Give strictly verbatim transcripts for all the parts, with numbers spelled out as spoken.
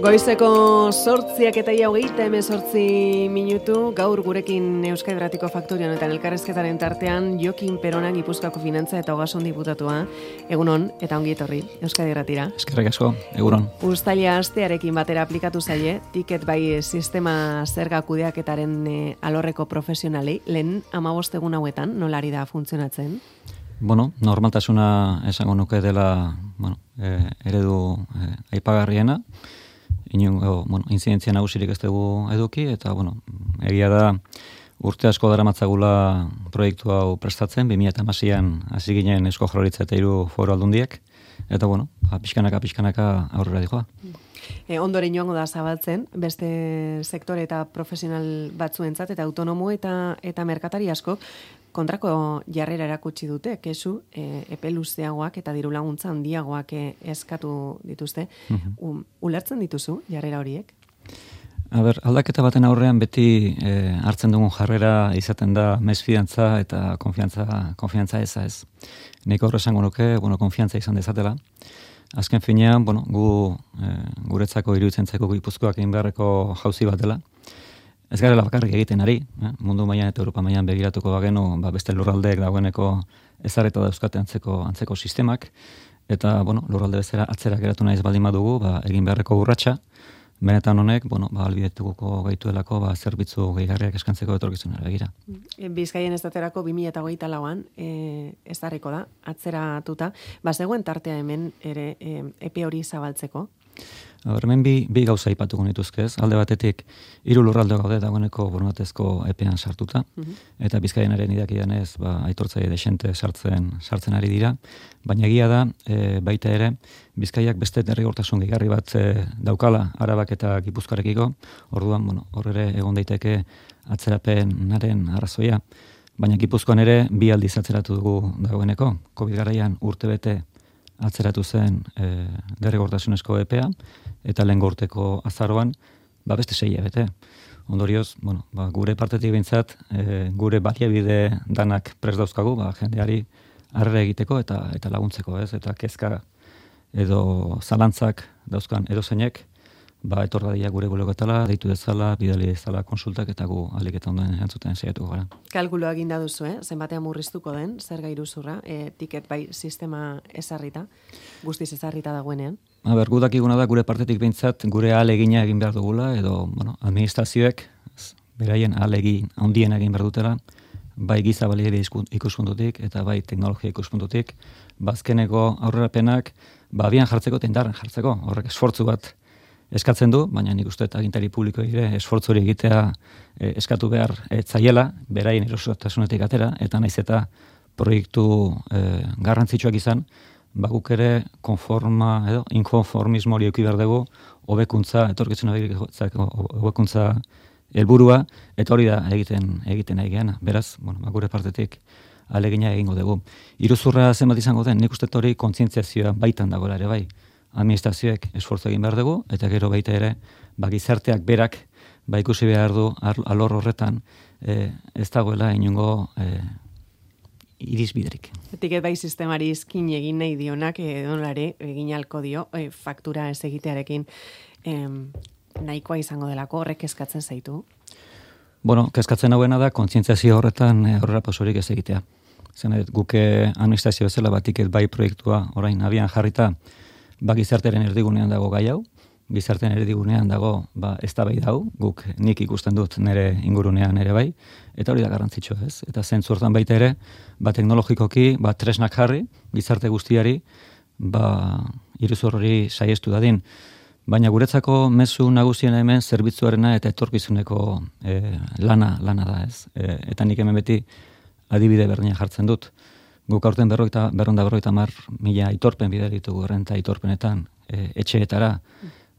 Goizeko sortziak eta ia hogeita hemezortzi minutu, gaur gurekin Euskadi Irratiko Faktoria honetan elkarrezketaren tartean Jokin Perona Gipuzkoako Finantza eta Ogasun diputatua. Egunon eta ongi etorri Euskadi Irratira. Eskerrik asko, egunon. Uztaila astearekin batera aplikatu zaie, tiket bai sistema zerga kudeaketaren e, alorreko profesionalei, lehen hamabost egun hauetan, nolari da funtzionatzen? Bueno, normaltasuna esango nuke dela, bueno, e, eredu e, aipagarriena. Inungo, bueno, inzidentzia nagusirik ez dugu eduki, eta, bueno, egia da urte asko daramatzagula proiektu hau prestatzen, bi mila hamaseian hasi ginen Eusko Jaurlaritza eta hiru foru aldundiek, eta, bueno, pixkanaka, pixkanaka aurrera dijoa. E, ondoren joango da zabaltzen, beste sektore eta profesional batzuentzat, eta autonomo eta eta merkatari asko, kontrako jarrera erakutsi dute, kesu, e, epe luzeagoak eta diru laguntza handiagoak e, eskatu dituzte. Uh-huh. Ulertzen dituzu jarrera horiek? A ber, aldaketa baten aurrean beti e, hartzen dugun jarrera izaten da mesfidantza eta konfiantza, konfiantza eza ez. Nik horre esango nuke, bueno, konfiantza izan dezatela. Azken finean, bueno, gu e, guretzako iruditzen zaiko Gipuzkoak egin beharreko jauzi bat dela. Ez garela bakarrik egiten ari, eh? Mundu mailan eta Europa mailan begiratuko bagenu, ba, beste lurraldeek dagoeneko ezarreta dauzkate antzeko antzeko sistemak, eta bueno, lurralde bezala atzera geratu naiz baldin badugu, ba, egin beharreko urratsa, benetan honek, bueno, ba, albidetuko gaituelako, ba, zerbitzu gehigarriak eskantzeko etorkizunera begira. Bizkaien estaterako bi mila hogeita lauan e, ezarriko da, atzeratuta, ba, zegoen tartea hemen ere e, epe hori zabaltzeko? Hemen bi, bi gauza ipatuko nituzkez. Alde batetik, hiru lurralde gaude dagoeneko borondatezko epean sartuta, uh-huh. eta Bizkaienaren idakidanez, ba, aitortzaile desente sartzen sartzen ari dira, baina egia da, e, baita ere, Bizkaiak beste derrigortasun gehigarri bat e, daukala Arabak eta Gipuzkoarekiko, orduan, bueno, hor ere egon daiteke atzerapenaren arrazoia, baina Gipuzkoan ere bi aldiz atzeratu dugu dagoeneko, Covid garaian urtebete atzeratu zen e, derrigortasunezko epea, eta lehen urteko azaroan, ba beste sei hilabete. Ondorioz, bueno, ba, gure partetik behintzat, e, gure baliabide danak prest dauzkagu, ba, jendeari harrera egiteko eta eta laguntzeko, ez? Eta kezka edo zalantzak dauzkan edozeinek, ba, etor dadila gure bulegoetara, deitu dezala, bidali dezala konsultak, eta gu ahalik eta ondoen erantzuten saiatuko gara. Kalkuloa egin da duzu, eh? Zenbatean murriztuko den, zerga iruzurra, e, tiket bai sistema ezarrita, guztiz ezarrita dagoenean? A ber, gu dakiguna da gure partetik behintzat gure ahalegina egin behar dugula, edo, bueno, administrazioek beraien ahalegin handien egin behar dutela, bai giza baliabide ikuspuntutik eta bai teknologia ikuspuntutik, bazkeneko aurrerapenak, ba, abian jartzeko eta indarren jartzeko, horrek esfortzu bat eskatzen du, baina nik uste eta agintari publiko ere esfortzu hori egitea e, eskatu behar e, zaiela, beraien erosotasunetik atera, eta naiz eta proiektu e, garrantzitsuak izan, ba guk ere konforma edo inkonformismo hori eduki behar dugu, hobekuntza, etorkizuna begirako hobekuntza helburua, eta hori da egiten egiten nahi geana. Beraz, bueno, ba, gure partetik ahalegina egingo dugu. Iruzurra zenbat izango den, nik uste hori kontzientziazioa baitan dagoela ere bai. Administrazioek esfortzu egin behar dugu, eta gero baita ere, ba, gizarteak berak, ba, ikusi behar du alor horretan, e, ez dagoela inungo e, irizbiderik. Tiket bai sistemari izkin egin nahi dionak, edonare egin halko dio, e, faktura ez egitearekin em, nahikoa izango delako, horrek eskatzen zaitu? Bueno, kezkatzen hauena da, kontzientziazio horretan e, horrela pasorik ez egitea. Zen, guke administrazio bezala bat tiket bai proiektua orain abian jarrita, ba, gizarteren erdigunean dago gai hau, gizarteren erdigunean dago ba, eztabaida hau, guk nik ikusten dut nire ingurunean ere bai, eta hori da garrantzitsua, ez? Eta zentzu hortan baita ere, ba, teknologikoki, ba, tresnak jarri, gizarte guztiari, ba, iruzur hori saiestu dadin. Baina guretzako mezu nagusiena hemen zerbitzuarena eta etorkizuneko e, lana, lana da, ez? E, eta nik hemen beti adibide berdina jartzen dut. Guk aurten berroita, berronda berroita mar mila aitorpen bidali ditugu errenta aitorpenetan e, etxeetara,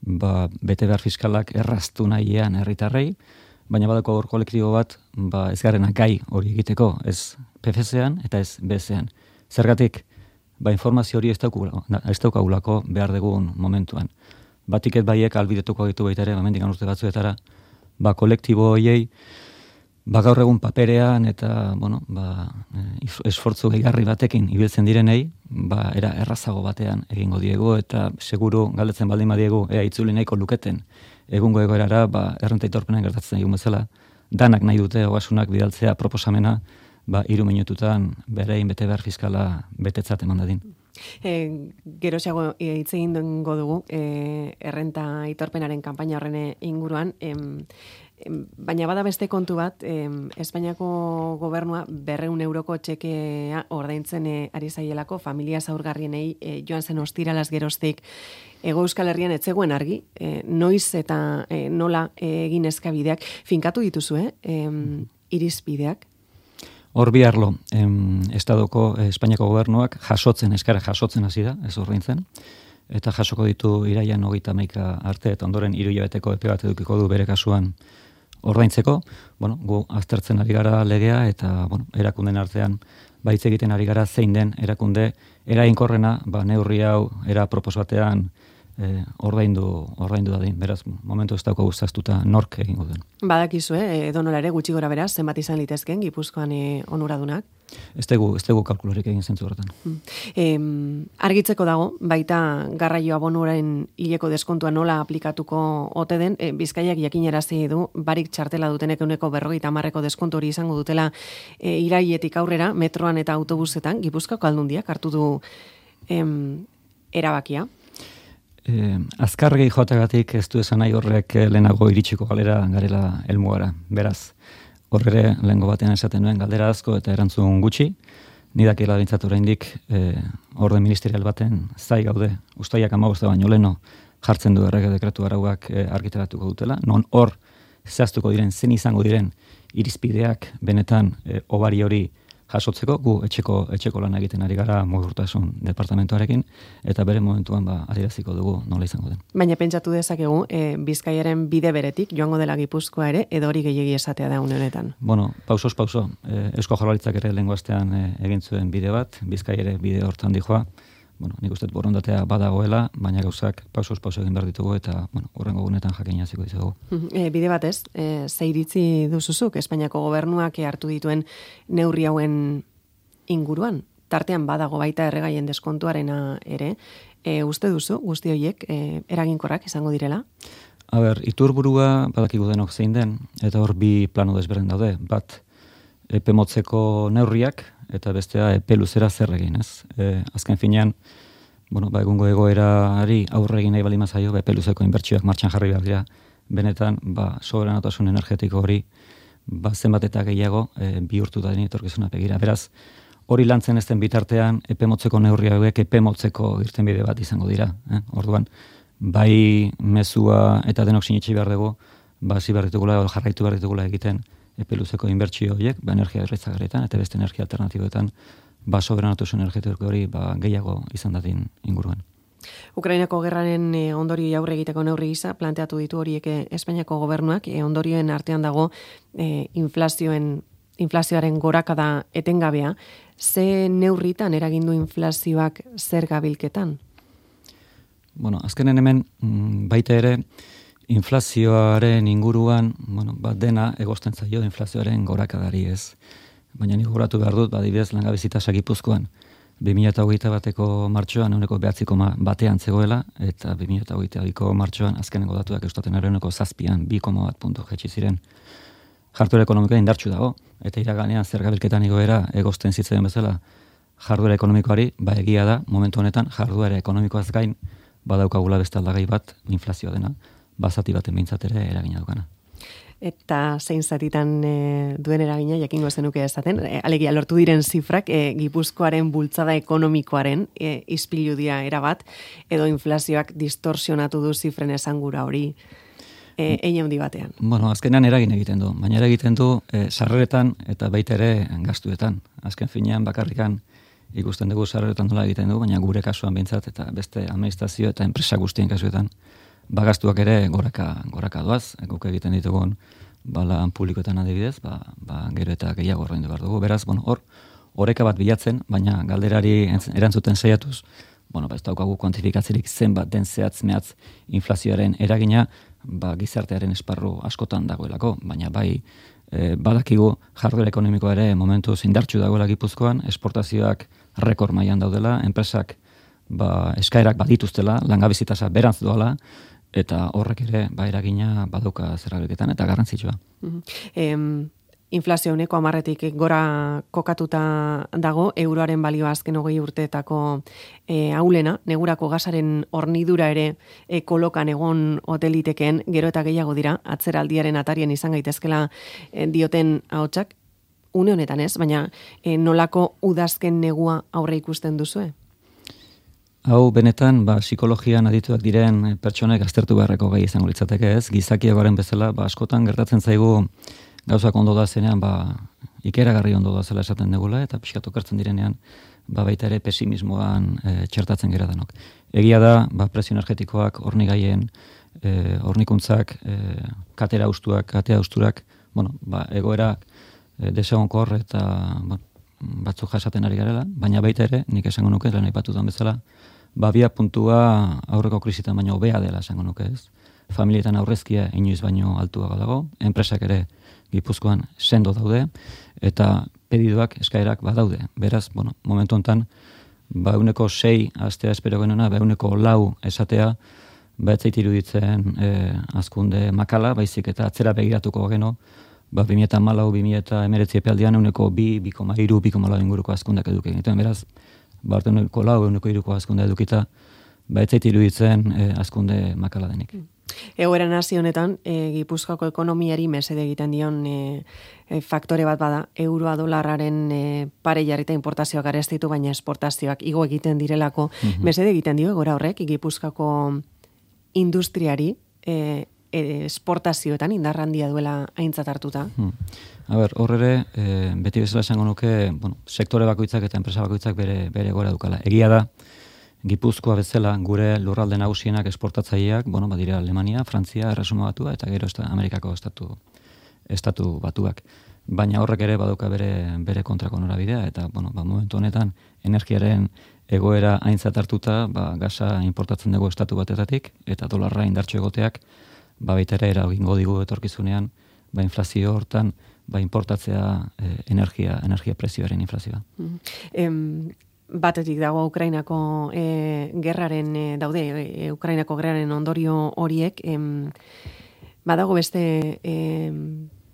ba, bete behar fiskalak erraztu nahian herritarrei, baina badako hor kolektibo bat, ba, ez garena gai hori egiteko, ez P F Z-ean eta ez B Z-ean. Zergatik, ba, informazio hori ez daukagulako behar dugun momentuan. Ba, tiket baiek albidetuko ditu baita ere, bamendik urte batzuetara, ba, kolektibo horiei, ba gaur egun paperean eta, bueno, ba, esfortzu gehigarri batekin ibiltzen direnei, ba, era errazago batean egingo diegu, eta seguru galdetzen baldin badiegu, ea itzuli nahiko luketen, egungo egoerara, ba, errenta aitorpenen gertatzen egun bezala, danak nahi dute ogasunak bidaltzea proposamena, ba, hiru minututan berein bete behar fiskala betetzat eman dadin. E, Geroxago hitz egin dengo dugu, e, errenta aitorpenaren kanpaina horren inguruan, em, baina bada beste kontu bat, eh, Espainiako gobernua berreun euroko txekea ordaintzen eh, ari zaielako familia zaurgarrienei eh, joan zen ostiralaz geroztik Ego Euskal Herrian etzegoen argi, eh, noiz eta eh, nola eh, egin eskabideak, finkatu dituzu, eh? eh irizpideak? Hor bi arlo, em, Estadoko eh, Espainiako gobernuak jasotzen, eskara jasotzen hasi da, ez ordaintzen, eta jasoko ditu iraian hogeita hamaika arte, eta ondoren hiru hilabeteko epe bat edukiko du bere kasuan ordaintzeko. Bueno, gu aztertzen ari gara legea, eta bueno, erakunden artean baitz egiten ari gara zein den erakunde eraginkorrena, ba, neurri hau era propos batean eh, ordaindu, ordaindu dadin. Beraz, momentu ez dauko guztaztuta nork egingo den. Badakizu, eh, edonola ere gutxi gora beraz, zenbat izan litezken Gipuzkoan eh, onuradunak? Ez tegu, ez tegu kalkulorik egin zentzu horretan. Hmm. Eh, argitzeko dago, baita garraio abonuaren hileko deskontua nola aplikatuko ote den, eh, Bizkaiak jakinarazi du, barik txartela dutenek euneko berrogeita hamarreko deskontu hori izango dutela eh, iraietik aurrera, metroan eta autobusetan, Gipuzkoako aldundiak hartu du em, erabakia. Eh, azkargei joategatik ez du esan nahi horrek lehenago iritsiko galera garela helmugara. Beraz, horre lehengo batean esaten nuen galdera asko eta erantzun gutxi, nidakila bintzat oraindik eh, orden ministerial baten zai gaude, ustaiak hamabost baino leno jartzen du errege dekretu arauak eh, argitaratuko dutela, non hor zehaztuko diren, zen izango diren irizpideak benetan eh, obari hori jasotzeko, gu etxeko etxeko lan egiten ari gara Mugikortasun departamentuarekin, eta bere momentuan ba adieraziko dugu nola izango den. Baina pentsatu dezakegu, e, Bizkaiaren bide beretik joango dela Gipuzkoa ere, edo hori gehiegi esatea da une honetan. Bueno, pausos pauso, e, Eusko Jaurlaritzak ere lehengo astean e, egin zuen bide bat, Bizkai ere bide hortan dijoa. Bueno, nik uste borondatea badagoela, baina gauzak pausos pauso egin behar ditugu, eta bueno, horrengo gunetan jakin hasiko dizugu. E, bide batez, e, ze iritzi duzuzuk Espainiako gobernuak hartu dituen neurri hauen inguruan? Tartean badago baita erregaien deskontuarena ere, e, uste duzu guzti horiek e, eraginkorrak izango direla? A ber, iturburua badakigu denok zein den, eta hor bi plano desberdin daude. Bat, epe motzeko neurriak, eta bestea epe luzera zer egin, ez? E, azken finean, bueno, ba, egungo egoerari aurre egin nahi baldin bazaio, epe luzeko inbertsioak martxan jarri behar dira, benetan, ba, soberanotasun energetiko hori, ba, zenbat eta gehiago e, bihurtu da etorkizuna begira. Beraz, hori lantzen ez den bitartean, epe motzeko neurri hauek epe motzeko irtenbide bat izango dira. Eh? Orduan, bai mezua eta denok sinetsi behar dugu, ba, zi behar ditugula, jarraitu behar ditugula egiten, epe luzeko inbertsio horiek, ba, energia erretzagarrietan eta beste energia alternatiboetan, ba, soberanotasun energetiko hori ba, gehiago izan dadin inguruan. Ukrainako gerraren e, ondori aurre egiteko neurri gisa planteatu ditu horiek Espainiako gobernuak, e, ondorioen artean dago e, inflazioen, inflazioaren gorakada etengabea. Ze neurritan eragindu inflazioak zer gabilketan? Bueno, azkenen hemen baita ere, inflazioaren inguruan, bueno, bat dena egosten zaio inflazioaren gorakadari ez. Baina nik gogoratu behar dut, badibidez langabezitasak Gipuzkoan, bi mila hogeita bateko martxoan euneko behatzi koma batean zegoela, eta bi mila hogeita biko martxoan azkeneko datuak eustaten euneko zazpian, bi koma bat puntu jetxi ziren. Jarduera ekonomikoa indartsu dago, eta iraganean zer gabilketan igoera egosten zitzen bezala jarduera ekonomikoari, ba egia da, momentu honetan jarduera ekonomikoaz gain, badaukagula beste aldagai bat inflazioa dena, bazati baten behintzat ere eragina dukana. Eta zein zatitan e, duen eragina, jakingo zenuke esaten, e, alegia lortu diren zifrak, e, Gipuzkoaren bultzada ekonomikoaren e, ispiludia erabat, edo inflazioak distorsionatu du zifren esangura hori e, eine handi batean. Bueno, azkenean eragin egiten du, baina eragiten du e, sarreretan eta baita ere gastuetan. Azken finean bakarrikan ikusten dugu sarreretan nola egiten du, baina gure kasuan behintzat eta beste administrazio eta enpresa guztien kasuetan bagastuak ere goraka, goraka doaz, guk egiten ditugun balan publikoetan adibidez, ba, ba, gero eta gehiago ordaindu behar dugu. Beraz, bueno, hor, oreka bat bilatzen, baina galderari erantzuten saiatuz, bueno, ba, ez daukagu kuantifikatzerik zenbat den zehatz mehatz inflazioaren eragina, ba, gizartearen esparru askotan dagoelako, baina bai e, badakigu jarduera ekonomikoa ere momentuz indartsu dagoela Gipuzkoan, esportazioak rekord mailan daudela, enpresak ba, eskaerak badituztela, langabezi tasa berantz doala, eta horrek ere ba, eragina baduka zergareketan eta garrantzitsua. Mm-hmm. em, inflazio uneko amarretik gora kokatuta dago, euroaren balioa azken hogei urteetako e, aulena, negurako gasaren hornidura ere e, kolokan egon hoteliteken, gero eta gehiago dira, atzeraldiaren atarien izan gaitezkela e, dioten ahotsak, une honetan ez, baina e, nolako udazken negua aurre ikusten duzue? Hau benetan, ba, psikologian adituak diren pertsonek aztertu beharreko gai izango litzateke ez, gizakiagoaren bezala, ba, askotan gertatzen zaigu gauzak ondo da zenean, ba, ikeragarri ondo da zela esaten degula, eta pixkatu kartzen direnean, ba, baita ere pesimismoan e, txertatzen gera danok. Egia da, ba, presio energetikoak, hornigaien, e, hornikuntzak, e, katera ustuak, katea usturak, bueno, ba, egoerak e, desegonkor eta ba, batzuk jasaten ari garela, baina baita ere, nik esango nuke, lehen aipatutan bezala, ba, bia puntua aurreko krisitan baino hobea dela esango nuke ez. Familietan aurrezkia inoiz baino altuago dago, enpresak ere Gipuzkoan sendo daude, eta pedidoak, eskaerak badaude. Beraz, bueno, momentu honetan, ba, euneko sei astea espero genuna, ba, euneko lau esatea, ba, etzait iruditzen e, azkunde makala, baizik eta atzera begiratuko geno, ba, bi mila hamalau, bi mila hemeretzi epealdian euneko bi, bi koma hiru, bi koma lau inguruko azkundak eduki egiten. Beraz, ba, euneko lau, euneko hiruko azkunde edukita, ba, etzait iruditzen e, azkunde makala denik. Egoera nazio honetan, e, Gipuzkoako ekonomiari mesede egiten dion e, e, faktore bat bada, euroa dolarraren e, pare jarrita importazioak arestitu, baina esportazioak igo egiten direlako, mm-hmm. mesede egiten dio egoera horrek, Gipuzkoako industriari e, e, esportazioetan indarrandia duela aintzat hartuta. Hmm. A ber, horre, e, beti bezala esango nuke, bueno, sektore bakoitzak eta enpresa bakoitzak bere, bere egoera dukala. Egia da, Gipuzkoa bezala gure lurralde nagusienak esportatzaileak, bueno, badira Alemania, Frantzia, Erresuma Batua eta gero esta, Amerikako estatu estatu batuak. Baina horrek ere baduka bere bere kontrako norabidea eta bueno, ba, momentu honetan energiaren egoera aintzat hartuta, ba, gasa importatzen dugu estatu batetatik eta dolarra indartsu egoteak, ba baita ere eragingo digu etorkizunean, ba inflazio hortan, ba importatzea eh, energia, energia prezioaren inflazioa. Mm. Em, batetik dago Ukrainako e, gerraren e, daude, e, Ukrainako gerraren ondorio horiek, em, badago beste e,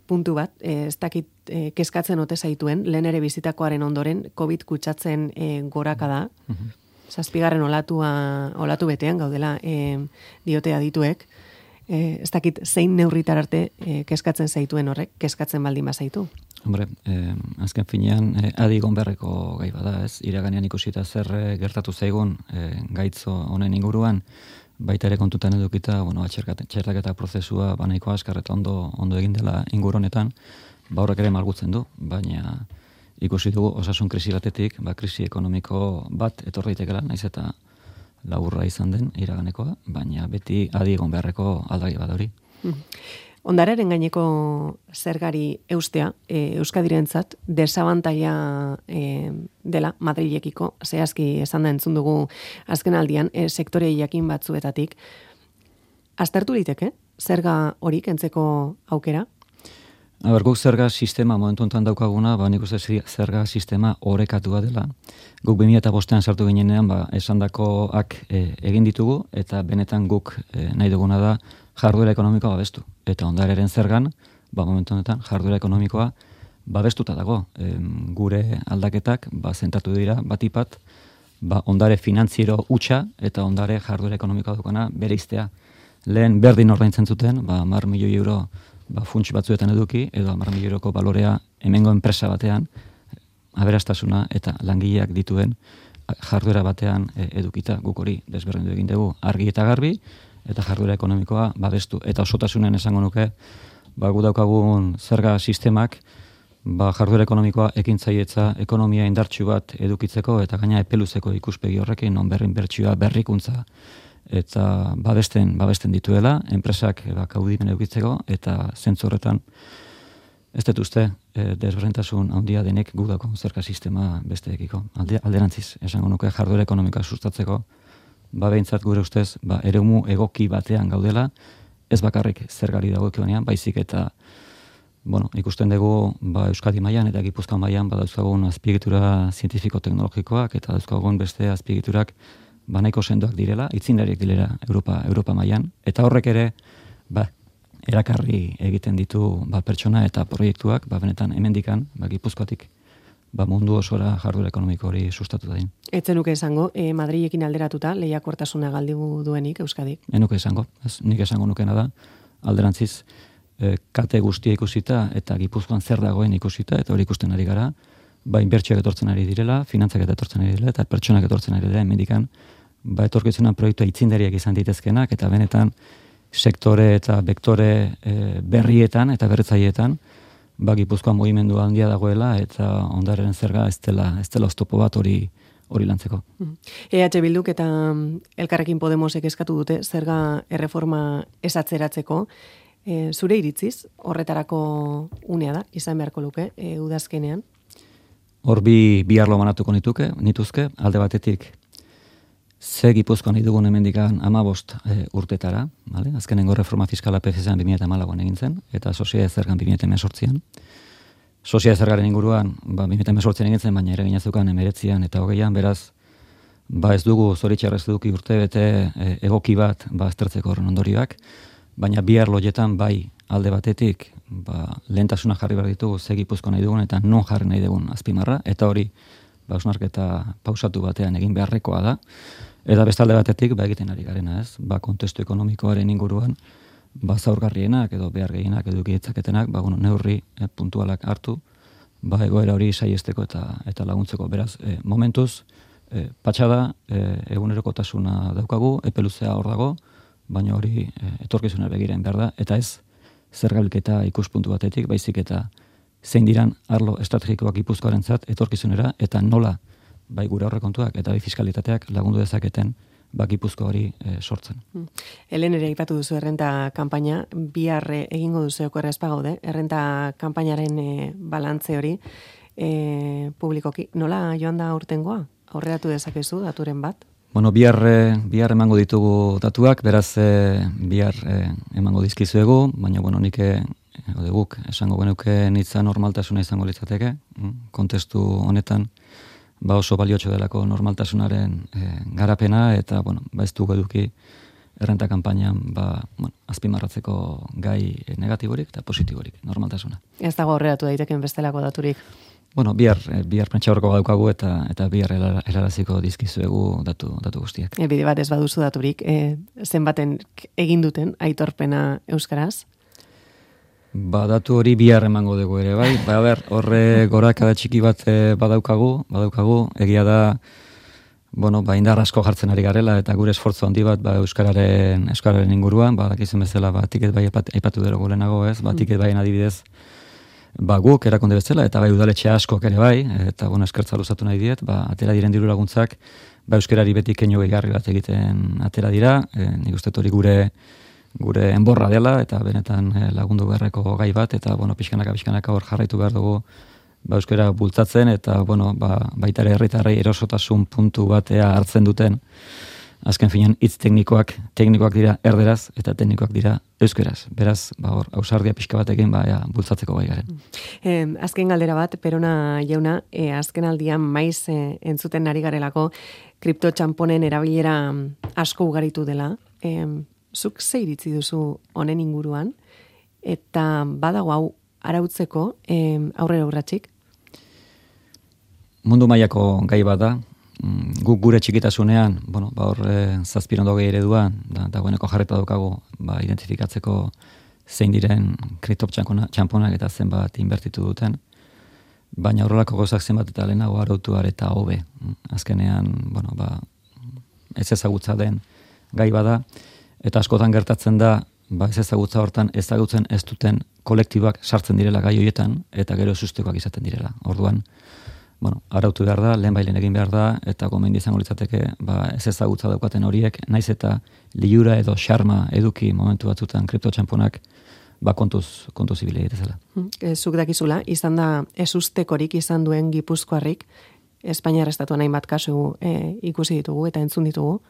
puntu bat, e, ez dakit e, kezkatzen ote zaituen, lehen ere bizitakoaren ondoren, COVID kutsatzen e, goraka da, mm-hmm. zazpigarren olatua, olatu betean gaudela e, diote adituek, e, ez dakit zein neurritar arte e, kezkatzen zaituen horrek, kezkatzen baldin bazaitu. Hombre, eh, azken finean, eh, adi gonberreko gai bada, ez? Iraganean ikusita zer eh, gertatu zaigun eh, gaitzo honen inguruan, baita ere kontutan edukita, bueno, txertaketa prozesua banaiko askar eta ondo, ondo egin dela inguru honetan, ba horrek ere malgutzen du, baina ikusi dugu osasun krisi batetik, ba krisi ekonomiko bat etor daitekela, naiz eta laburra izan den iraganekoa, baina beti adi gonberreko aldagai bat hori. Ondararen gaineko zergari eustea, e, Euskadirentzat desabantaia e, dela Madrilekiko, zehazki esan da entzun dugu azken aldian, e, sektore jakin batzuetatik. Aztertu liteke, zerga hori kentzeko aukera? Aber, guk zerga sistema momentu enten daukaguna, ba, nik uste zerga sistema orekatua dela. Guk bi mila bostean sartu ginenean, ba, esandakoak e, egin ditugu, eta benetan guk e, nahi duguna da jarduera ekonomikoa babestu. Eta ondareren zergan, ba, momentu honetan, jarduera ekonomikoa babestuta dago. E, gure aldaketak, ba, zentratu dira, batipat, ba, ondare finantziero hutsa eta ondare jarduera ekonomikoa dukana bere iztea. Lehen berdin ordaintzen zuten, ba, hamar milioi euro ba, funts batzuetan eduki, edo hamar milioi euroko balorea hemengo enpresa batean, aberastasuna eta langileak dituen jarduera batean e, edukita, guk hori desberdindu egin dugu argi eta garbi, eta jarduera ekonomikoa babestu. Eta osotasunen esango nuke, ba, gu daukagun zerga sistemak, ba, jarduera ekonomikoa ekintzaietza, ekonomia indartsu bat edukitzeko, eta gaina epeluzeko ikuspegi horrekin, non berrin bertsioa, berrikuntza, eta babesten, babesten dituela, enpresak ba, kaudimen edukitzeko, eta zentzu horretan, ez dut uste, e, desberdintasun handia denek gu daukagun zerga sistema besteekiko. Alde, alderantziz, esango nuke jarduera ekonomikoa sustatzeko, ba behintzat gure ustez, ba, eremu egoki batean gaudela, ez bakarrik zergari dagokionean, baizik eta bueno, ikusten dugu ba, Euskadi mailan eta Gipuzkoa mailan badauzkagun azpiegitura zientifiko-teknologikoak eta dauzkagun beste azpiegiturak ba, nahiko sendoak direla, itzinariak direla Europa, Europa mailan, eta horrek ere ba, erakarri egiten ditu ba, pertsona eta proiektuak, ba, benetan hemendikan, ba, Gipuzkoatik ba, mundu osora jarduera ekonomiko hori sustatu da din. Etzen nuke esango, e, Madrilekin alderatuta lehiakortasuna galdu duenik Euskadik? Enuke esango, ez, nik esango nukena da, alderantziz, e, kate guztia ikusita eta Gipuzkoan zer dagoen ikusita, eta hori ikusten ari gara, ba, inbertsioak etortzen ari direla, finantzak eta etortzen ari direla, eta pertsonak etortzen ari direla, hemendikan, ba, etorkizunan proiektua itzindariak izan ditezkenak, eta benetan sektore eta bektore e, berrietan eta berritzaileetan, ba, Gipuzkoan mugimendu handia dagoela, eta ondaren zerga ez dela, ez dela oztopo bat hori hori lantzeko. E H Bilduk eta Elkarrekin Podemosek eskatu dute zerga erreforma esatzeratzeko. E, zure iritziz, horretarako unea da, izan beharko luke, e, udazkenean? Hor bi, bi arlo manatuko nituke, nituzke, alde batetik, ze Gipuzkoan nahi dugun hemendikan hamabost e, urtetara, vale? Azkenengo reforma fiskala P F Z-an bi mila hamalauan egin zen, eta soziedade zergan bi mila hemezortzian. Soziedade zergaren inguruan, ba, bi mila hemezortzian egin zen, baina ere ginazukan emeretzian eta hogeian, beraz, ba ez dugu zoritxarrez duki urte bete e, egoki bat ba, aztertzeko horren ondorioak, baina bi arlo hoietan bai alde batetik ba, lehentasuna jarri behar ditugu ze Gipuzkoa nahi dugun eta non jarri nahi dugun azpimarra, eta hori ba, hausnarketa pausatu batean egin beharrekoa da. Eta bestalde batetik, ba egiten ari garena, ez? Ba, kontestu ekonomikoaren inguruan, ba, zaurgarrienak edo behar gehienak edo ditzaketenak, ba, bueno, neurri eh, puntualak hartu, ba, egoera hori saiesteko eta eta laguntzeko. Beraz, eh, momentuz, eh, patxada, eh, egunerokotasuna daukagu, epe luzea hor dago, baina hori eh, etorkizuna begiren behar da, eta ez zergabilketa ikuspuntu batetik, baizik eta zein diran arlo estrategikoak Gipuzkoarentzat etorkizunera, eta nola bai gure aurrekontuak eta bai fiskalitateak lagundu dezaketen ba Gipuzkoa hori e, sortzen. Helen ere aipatu duzu errenta kanpaina, bihar egingo duzu okerra ez pagaude, errenta kanpainaren e, balantze hori e, publikoki. Nola joan da urtengoa? Aurreratu dezakezu daturen bat? Bueno, bihar, bihar emango ditugu datuak, beraz e, bihar e, emango dizkizuegu, baina bueno, nik ode guk esango genuke nitza normaltasuna izango litzateke, kontestu honetan ba oso baliotxo delako normaltasunaren e, garapena, eta, bueno, ba ez dugu eduki errenta kanpainan, ba, bueno, azpimarratzeko gai negatiborik eta positiborik, normaltasuna. Ez dago horreatu daiteken bestelako daturik? Bueno, bihar, bihar prentxaurreko badaukagu eta eta bihar helaraziko dizkizuegu datu, datu guztiak. E, bide bat ez baduzu daturik, e, zenbaten egin duten aitorpena euskaraz? Ba, datu hori bihar emango dugu ere, bai? Ba, ber, horre gorakada txiki bat badaukagu, badaukagu, egia da, bueno, ba, indar asko jartzen ari garela, eta gure esfortzu handi bat, ba, euskararen, euskararen inguruan, ba, dakizen bezala, ba, tiket bai aipatu dero gulenago, ez? Ba, tiket baien adibidez, ba, guk erakonde bezala, eta bai udaletxe askok ere bai, eta, bueno, eskertza luzatu nahi diet, ba, atera diren diru laguntzak, ba, euskarari beti keinu gehigarri bat egiten atera dira, e, nik uste hori gure gure enborra dela, eta benetan lagundu beharreko gai bat, eta, bueno, pixkanaka, pixkanaka hor jarraitu behar dugu, ba, euskara bultzatzen, eta, bueno, ba, baita ere herritarrei erosotasun puntu batea hartzen duten, azken finean hitz teknikoak, teknikoak dira erderaz, eta teknikoak dira euskaraz. Beraz, ba, hor, ausardia pixka batekin, ba, ja, bultzatzeko gai garen. Eh, azken galdera bat, Perona jauna, eh, azken aldian maiz eh, entzuten ari garelako, kriptotxamponen erabilera asko ugaritu dela, eh, zuk ze iritzi duzu honen inguruan, eta badago hau arautzeko eh, aurrera urratzik? Mundu mailako gai bat da, guk gure txikitasunean, bueno, ba hor e, zazpirondo gehi ereduan, da, dagoeneko jarreta daukagu, ba, identifikatzeko zein diren kriptotxamponak eta zenbat inbertitu duten, baina horrelako gauzak zenbat eta lehenago arautu eta hobe. Azkenean, bueno, ba, ez ezagutza den gai bada, eta askotan gertatzen da, ba ez ezagutza hortan ezagutzen ez duten kolektiboak sartzen direla gai horietan, eta gero sustekoak izaten direla. Orduan, bueno, arautu behar da, lehen bailen egin behar da, eta gomendi izango litzateke, ba ez ezagutza daukaten horiek, naiz eta liura edo xarma eduki momentu batzutan kriptotxamponak, ba kontuz, kontuz ibile egitezela. Zuk dakizula, izan da ezustekorik izan duen Gipuzkoarrik, Espainiar estatuan hainbat kasu e, ikusi ditugu eta entzun ditugu.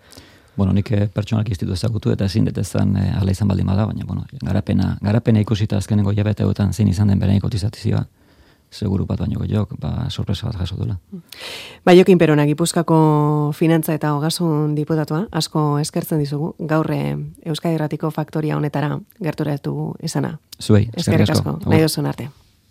Bueno, nik pertsonalki institutu ezagutu eta ezin detezan e, ala izan baldin bada, baina, bueno, garapena, garapena ikusita azkenengo hilabeteotan zein izan den berain kotizatizioa, seguru bat baino gehiok, ba, sorpresa bat jaso dela. Ba, Jokin Perona, Gipuzkoako finantza eta ogasun diputatua, asko eskertzen dizugu, gaur Euskadi Irratiko faktoria honetara gerturatu izana. Zuei, eskerrik asko. Nahi duzun arte.